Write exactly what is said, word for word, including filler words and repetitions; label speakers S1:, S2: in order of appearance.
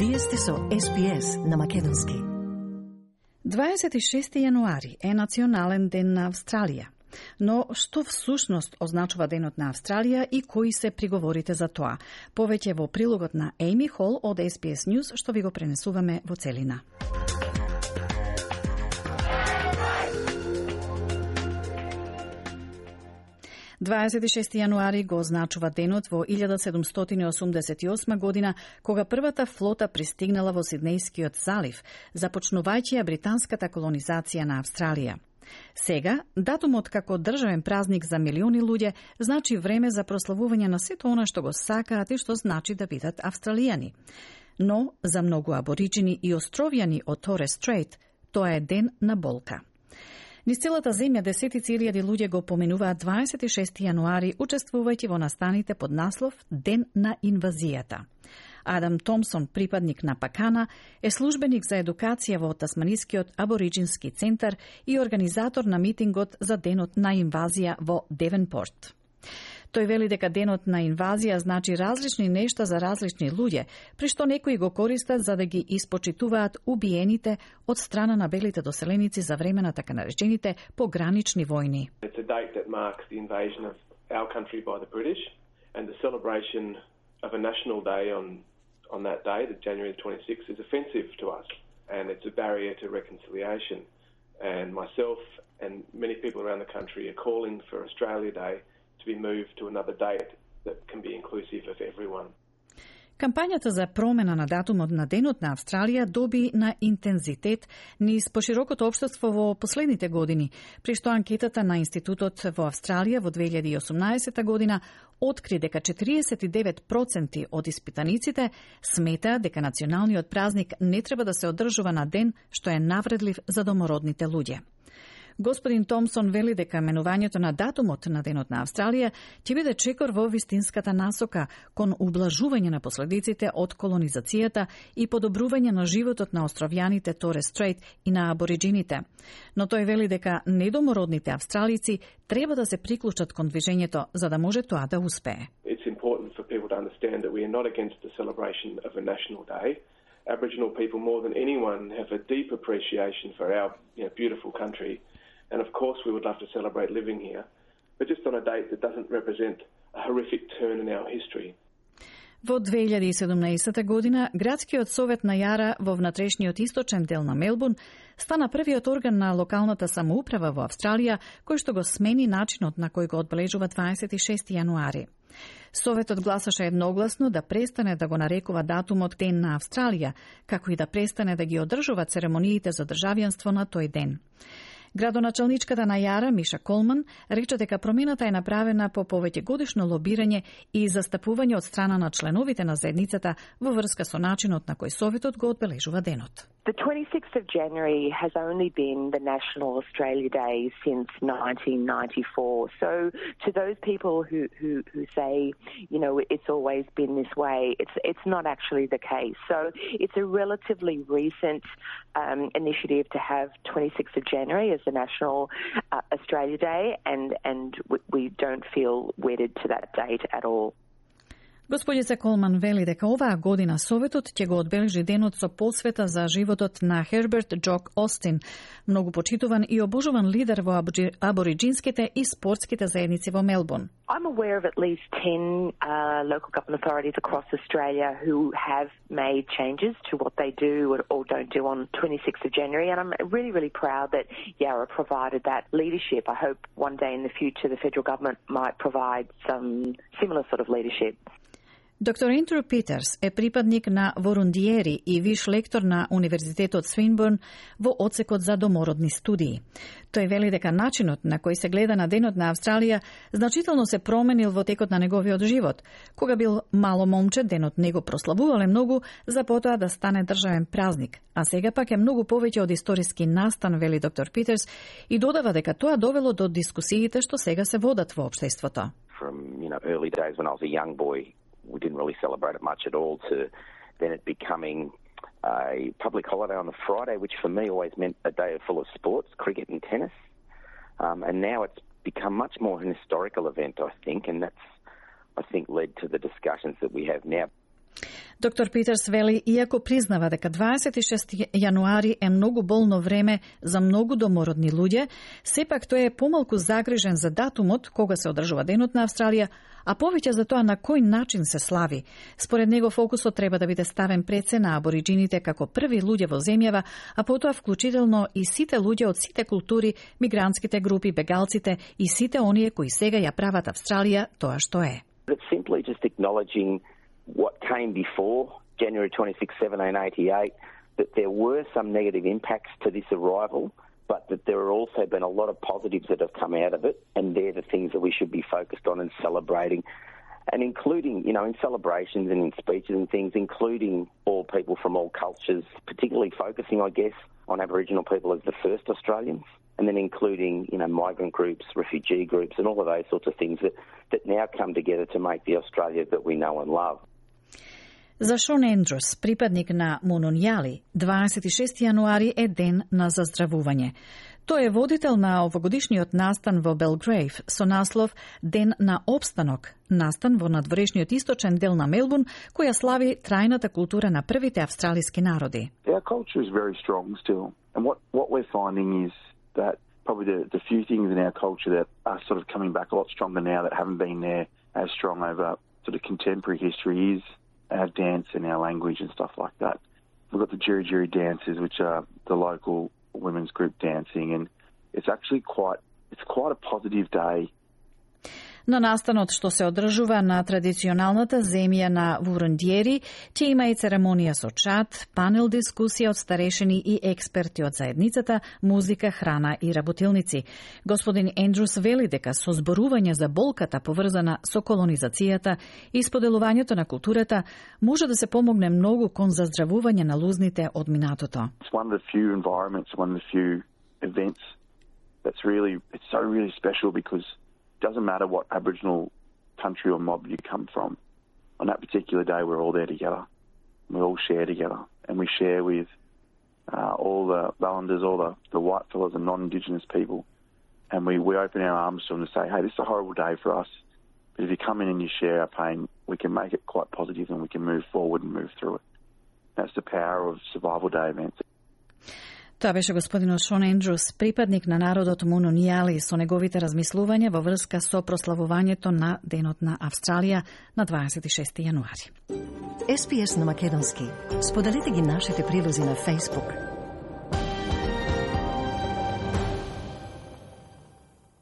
S1: Вие сте со Ес Би Ес на македонски.
S2: дваесет и шести јануари е национален ден на Австралија. Но што всушност означува денот на Австралија и кои се приговорите за тоа? Повеќе во прилогот на Ейми Хол од Ес Би Ес News, што ви го пренесуваме во целина. дваесет и шести јануари го означува денот во илјада седумстотини осумдесет и осма година, кога првата флота пристигнала во Сиднејскиот залив, започнувајќи ја британската колонизација на Австралија. Сега, датумот како државен празник за милиони луѓе значи време за прославување на сето она што го сакаат и што значи да бидат австралијани. Но, за многу абориджини и островјани од Торес Стрейт, тоа е ден на болка. Низ целата земја десетици илјади луѓе го поминуваат дваесет и шести јануари, учествувајќи во настаните под наслов Ден на инвазијата. Адам Томсон, припадник на Пакана, е службеник за едукација во Тасманискиот абориджински центар и организатор на митингот за Денот на инвазија во Девенпорт. Тој вели дека денот на инвазија значи различни нешта за различни луѓе, при што некои го користат за да ги испочитуваат убиените од страна на белите доселеници за време на така наречените погранични војни.
S3: It's a date that marks the invasion of our country by the British and the celebration of a national day on on that day, the January twenty-sixth, is offensive to us and it's a barrier to reconciliation. And myself and many people around the country are calling for Australia Day to be moved to another date that can be inclusive of everyone.
S2: Кампањата за промена на датумот на Денот на Австралија доби на интензитет низ поширокото општество во последните години, при што анкетата на Институтот во Австралија во две илјади и осумнаесета година откри дека четириесет и девет проценти од испитаниците сметаат дека националниот празник не треба да се одржува на ден што е навредлив за домородните луѓе. Господин Томсон вели дека менувањето на датумот на Денот на Австралија ќе биде чекор во вистинската насока кон ублажување на последиците од колонизацијата и подобрување на животот на островјаните Торес Стрейт и на абориджините. Но тој вели дека недомородните австралици треба да се приклучат кон движењето за да може тоа да успее.
S3: It's important for people to understand that we are not against the celebration of a national day. Aboriginal people more than anyone have a deep appreciation for our, you know, beautiful country. And of course we would love to celebrate living here, but just on a date that doesn't represent a horrific turn in our history.
S2: Во две илјади и седумнаесета година, Градскиот совет на Јара во внатрешниот источен дел на Мелбурн стана првиот орган на локалната самоуправа во Австралија кој што го смени начинот на кој го одбележува дваесет и шести јануари. Советот гласаше едногласно да престане да го нарекува датумот Ден на Австралија, како и да престане да ги одржува церемониите за државјанство на тој ден. Градоначалничката на Јара, Миша Колман, рече дека промената е направена по повеќе годишно лобирање и застапување од страна на членовите на заедницата во врска со начинот на кој Советот го одбележува денот.
S4: The twenty-sixth of January has only been the National Australia Day since nineteen ninety-four. So to those people who, who, who say, you know, it's always been this way, it's it's not actually the case. So it's a relatively recent um, initiative to have twenty-sixth of January as the National uh, Australia Day, and, and we don't feel wedded to that date at all.
S2: Господица Колман вели дека оваа година Советот ќе го одбележи денот со посвета за животот на Херберт Джок Остин, многу почитуван и обожуван лидер во абориджинските и спортските заедници во Мелбурн.
S4: I'm aware of at least ten uh, local government authorities across Australia who have made changes to what they do or, or don't do on twenty-sixth of January, and I'm really, really proud that Yarra provided that leadership. I hope one day in the future the federal government might provide some similar sort of leadership.
S2: Доктор Ендрю Питерс е припадник на Ворундиери и виш лектор на Универзитетот Свинбурн во одсекот за домородни студии. Тој вели дека начинот на кој се гледа на Денот на Австралија значително се променил во текот на неговиот живот. Кога бил мало момче, денот не го прославувале многу, за потоа да стане државен празник. А сега пак е многу повеќе од историски настан, вели доктор Питерс, и додава дека тоа довело до дискусиите што сега се водат во општеството.
S5: From, you know, early days when I was a young boy, we didn't really celebrate it much at all, to then it becoming a public holiday on the Friday, which for me always meant a day full of sports, cricket and tennis. Um, and now it's become much more an historical event, I think, and that's, I think, led to the discussions that we have now.
S2: Доктор Питерс вели, иако признава дека дваесет и шести јануари е многу болно време за многу домородни луѓе, сепак тој е помалку загрижен за датумот кога се одржува Денот на Австралија, а повеќе за тоа на кој начин се слави. Според него фокусот треба да биде ставен пред се на абориджините како први луѓе во земјава, а потоа вклучително и сите луѓе од сите култури, мигрантските групи, бегалците и сите оние кои сега ја прават Австралија тоа што е.
S5: It's simply just acknowledging what came before January twenty-sixth, seventeen eighty-eight, that there were some negative impacts to this arrival, but that there have also been a lot of positives that have come out of it, and they're the things that we should be focused on and celebrating, and including, you know, in celebrations and in speeches and things, including all people from all cultures, particularly focusing, I guess, on Aboriginal people as the first Australians, and then including, you know, migrant groups, refugee groups, and all of those sorts of things that, that now come together to make the Australia that we know and love.
S2: За Шон Ендрус, припадник на Мунунјали, дваесет и шести јануари е ден на заздравување. Тој е водител на овогодишниот настан во Белгрейв со наслов Ден на обстанок, настан во надворешниот источен дел на Мелбурн, која слави трајната култура на првите австралиски народи.
S6: Our culture is very strong still, and what what we're finding is that probably the, the few things in our culture that are sort of coming back a lot stronger now that haven't been there as strong over sort of contemporary history is our dance and our language and stuff like that. We've got the Jiri Jiri dances, which are the local women's group dancing, and it's actually quite, it's quite a positive day.
S2: На настанот што се одржува на традиционалната земја на Вурундиери, ќе има и церемонија со чат, панел дискусија од старешини и експерти од заедницата, музика, храна и работилници. Господин Ендрус вели дека со зборување за болката поврзана со колонизацијата и споделувањето на културата може да се помогне многу кон заздравување на лузните од минатото.
S6: It's one of the few environments, one of the few events that's really, it's so really special because it doesn't matter what Aboriginal country or mob you come from. On that particular day, we're all there together. We all share together, and we share with uh, all the Ballanders, all the, the white fellas and non-Indigenous people, and we, we open our arms to them to say, hey, this is a horrible day for us, but if you come in and you share our pain, we can make it quite positive and we can move forward and move through it. That's the power of Survival Day events.
S2: Тоа беше господинот Шон Ендрус, припадник на народот Мунунјали, со неговите размислувања во врска со прославувањето на Денот на Австралија на дваесет и шести јануари.
S1: Ес Би Ес на македонски. Споделете ги нашите прилози на Facebook,